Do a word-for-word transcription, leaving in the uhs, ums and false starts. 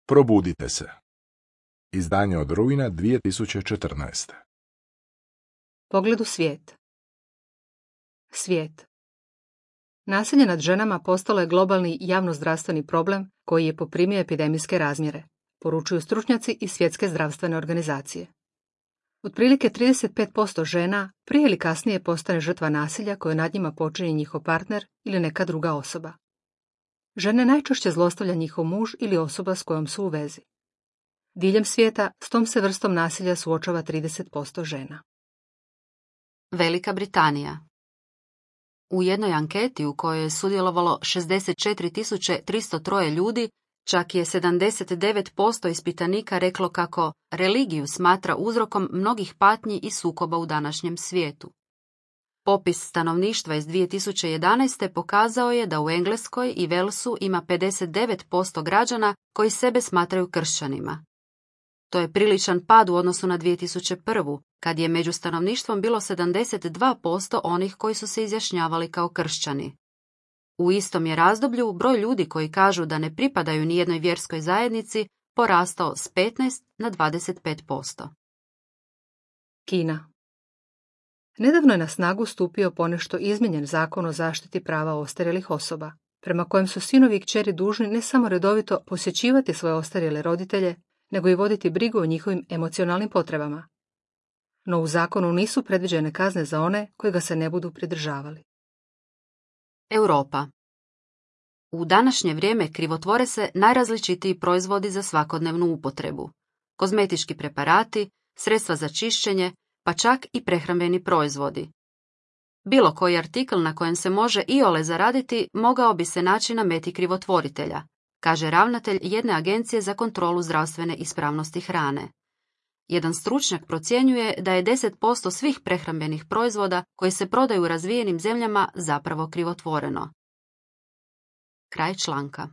Probudite se. Izdanje od rujna dvije tisuće četrnaeste. Pogled u svijet. Svijet. Nasilje nad ženama postalo je globalni javnozdravstveni problem koji je poprimio epidemijske razmjere, poručuju stručnjaci iz Svjetske zdravstvene organizacije. Otprilike trideset pet posto žena prije ili kasnije postane žrtva nasilja koje nad njima počini njihov partner ili neka druga osoba. Žene najčešće zlostavlja njihov muž ili osoba s kojom su u vezi. Diljem svijeta s tom se vrstom nasilja suočava trideset posto žena. Velika Britanija. U jednoj anketi u kojoj je sudjelovalo šezdeset četiri tisuće tristo tri ljudi, čak je sedamdeset devet posto ispitanika reklo kako religiju smatra uzrokom mnogih patnji i sukoba u današnjem svijetu. Popis stanovništva iz dvije tisuće jedanaeste pokazao je da u Engleskoj i Walesu ima pedeset devet posto građana koji sebe smatraju kršćanima. To je priličan pad u odnosu na dvije tisuće prvu, kad je među stanovništvom bilo sedamdeset dva posto onih koji su se izjašnjavali kao kršćani. U istom je razdoblju broj ljudi koji kažu da ne pripadaju nijednoj vjerskoj zajednici porastao s petnaest na dvadeset pet posto. Kina. Nedavno je na snagu stupio ponešto izmijenjen zakon o zaštiti prava ostarjelih osoba, prema kojem su sinovi i kćeri dužni ne samo redovito posjećivati svoje ostarjele roditelje, nego i voditi brigu o njihovim emocionalnim potrebama. No u zakonu nisu predviđene kazne za one koji ga se ne budu pridržavali. Europa. U današnje vrijeme krivotvore se najrazličitiji proizvodi za svakodnevnu upotrebu. Kozmetički preparati, sredstva za čišćenje, pa čak i prehrambeni proizvodi. Bilo koji artikl na kojem se može iole zaraditi mogao bi se naći na meti krivotvoritelja, kaže ravnatelj jedne agencije za kontrolu zdravstvene ispravnosti hrane. Jedan stručnjak procjenjuje da je deset posto svih prehrambenih proizvoda koji se prodaju u razvijenim zemljama zapravo krivotvoreno. Kraj članka.